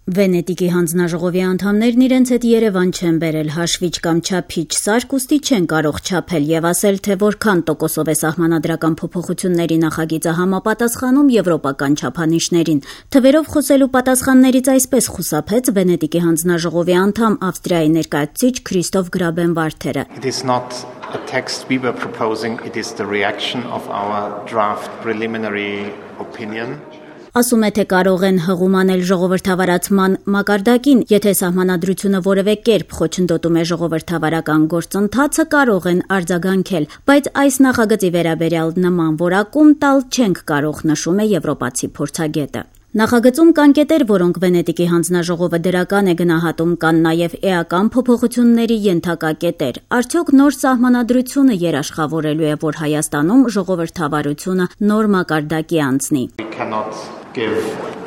Վենետիկի հանձնաժողովի անդամներն իրենց հետ Երևան չեն բերել հաշվիչ կամ չափիչ սարք, ուստի չեն կարող չափել եւ ասել, թե որքան տոկոսով է սահմանադրական փոփոխությունների նախագիծը համապատասխանում եվրոպական չափանիշներին։ Թվերով խոսելու պատասխաններից այսպես խուսափեց Վենետիկի հանձնաժողովի անդամ Ավստրիայի ներկայացուցիչ Քրիստոֆ Գրաբեն-Վարդերը։ It is not a text we were proposing, it is the reaction of our draft preliminary opinion. Ասում է, թե կարող են հղում անել ժողովրդավարացման մակարդակին, եթե սահմանադրությունը որևէ կերպ խոչընդոտում է ժողովրդավարական գործընթացը, կարող են արձագանքել, բայց այս նախագծի վերաբերյալ նման որակում տալ չենք կարող, նշում է եվրոպացի փորձագետը։ Նախագծում կան կետեր, որոնք Վենետիկի հանձնաժողովը դրական է գնահատում, կան նաև էական փոփոխությունների ենթակա կետեր։ Արդյոք նոր սահմանադրությունը երաշխավորելու է, որ Հայաստանում ժողովրդավարությունը նոր մակարդակի անցնի։ We cannot give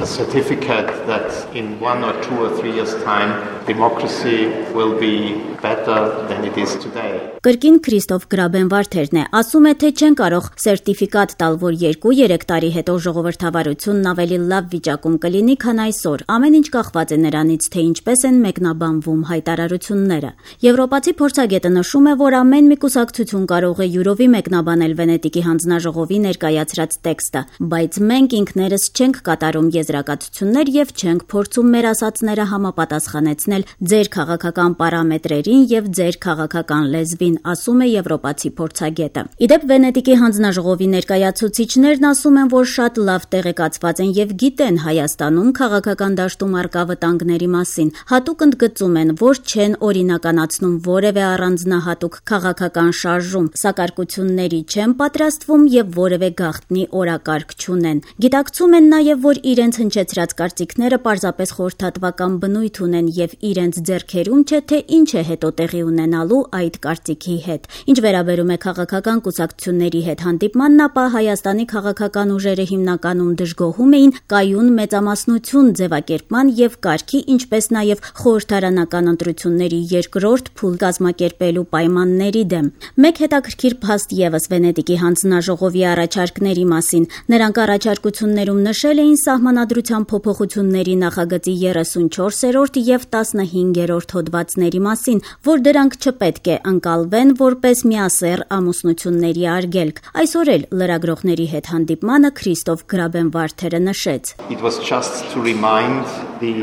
a certificate that in 1 or 2 or 3 years' time democracy will be better than it is today. Կրկին Քրիստոֆ Գրաբեն-Վարդերն է, ասում է, թե չեն կարող սերտիֆիկատ տալ, որ 2-3 տարի հետո ժողովրդավարությունն ավելի լավ վիճակում կլինի, քան այսօր։ Ամեն ինչ կախված է նրանից, թե ինչպես են մեկնաբանվում հայտարարությունները։ Եվրոպացի փորձագետը նշում է, որ ամեն մի կուսակցություն կարող է յուրովի մեկնաբանել Վենետիկի հանձնաժողովի ներկայացրած տեքստը, բայց մենք ինքներս չենք կատարում եզրակացություններ եւ չենք փորձում մեր ասածները համապատասխանեցնել ձեր քաղաքական պարամետրերին եւ ձեր քաղաքական լեզվին, ասում է եվրոպացի փորձագետը։ Իդեպ Վենետիկի հանձնաժողովի ներկայացուցիչներն ասում են, որ շատ լավ տեղեկացված են եւ գիտեն Հայաստանում քաղաքական դաշտում առկա վտանգների մասին։ Հատուկ ընդգծում են, որ չեն օրինականացնում որևէ առանձնահատուկ քաղաքական շարժում, սակարկությունների չեն պատրաստվում եւ որևէ գաղտնի օրակարգ չունեն։ Գիտակցում են նաեւ, որ իրենց հնչեցրած կարծիքները պարզապես խորհրդատվական բնույթ ունեն եւ իրենց ձեռքերում չէ, թե ինչ է հետո տեղի ունենալու այդ կարծիքի հետ։ Ինչ վերաբերում է քաղաքական կուսակցությունների հետ հանդիպմանն, ապա Հայաստանի քաղաքական ուժերը հիմնականում դժգոհում էին կայուն մեծամասնություն ձևակերպման եւ կարգի, ինչպես նաեւ խորհրդարանական ընտրությունների երկրորդ փուլ կազմակերպելու պայմանների դեմ։ Մեկ հետաքրքիր փաստ եւս Վենետիկի հանձնաժողովի առաջարկների մասին։ Նրանք առաջարկություններում նշել էին սահմանադրության փոփոխությունների նախագծի 34-րդ եւ 15-րդ հոդվածների մասին, որ դրանք չպետք է ընկալվեն որպես միասեռ ամուսնությունների արգելք։ Այսօր էլ լրագրողների հետ հանդիպմանը Քրիստոֆ Գրաբեն-Վարդերը նշեց. It was just to remind the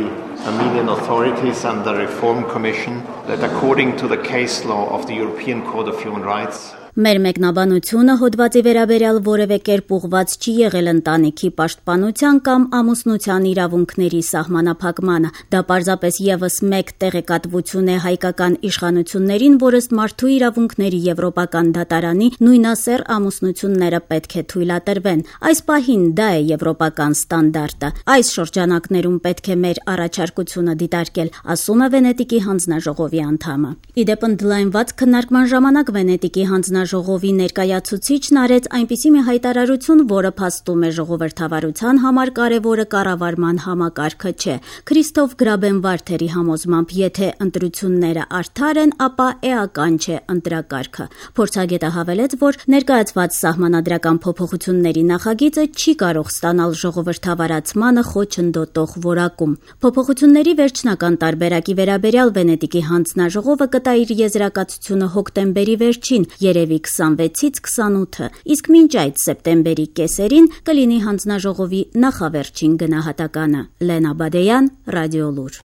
Armenian authorities and the Reform Commission that according to the case law of the European Court of Human Rights Մեր մեկնաբանությունը հոդվածի վերաբերյալ որևէ կերպ ուղված չի եղել ընտանիքի պաշտպանության կամ ամուսնության իրավունքների սահմանափակմանը։ Դա պարզապես եւս մեկ տեղեկատվություն է հայկական իշխանություններին, որ ըստ մարդու իրավունքների եվրոպական դատարանի նույնասեռ ամուսնությունները պետք է թույլատրվեն։ Այս պահին դա է եվրոպական ստանդարտը։ Այս շրջանակներում պետք է մեր առաջարկությունը դիտարկել, ասում է Վենետիկի հանձնաժողովի անդամը։ Իդեպ ընդլայնված քննարկման ժամանակ Վենետիկի հանձնաժողովի ներկայացուցիչն արեց այնպիսի մի հայտարարություն, որը փաստում է ժողովրդավարության համար կարևորը կառավարման համակարգը չէ։ Քրիստոֆ Գրաբեն-Վարդերի համոզմամբ, եթե ընտրությունները արդար են, ապա էական չէ ընտրակարգը։ Փորձագետը հավելեց, որ ներկայացված սահմանադրական փոփոխությունների նախագիծը չի կարող ստանալ ժողովրդավարացմանը խոչընդոտող որակում։ Փոփոխությունների վերջնական տարբերակի վերաբերյալ Վենետիկի հանձնաժողովը կտա իր եզրակացությունը հոկտեմբերի վերջին, երևի 26-ից 28-ը, իսկ մինչ այդ սեպտեմբերի կեսերին կլինի հանձնաժողովի նախավերջին գնահատականը։ Լենա Բադեյան, Ռադիոլուր։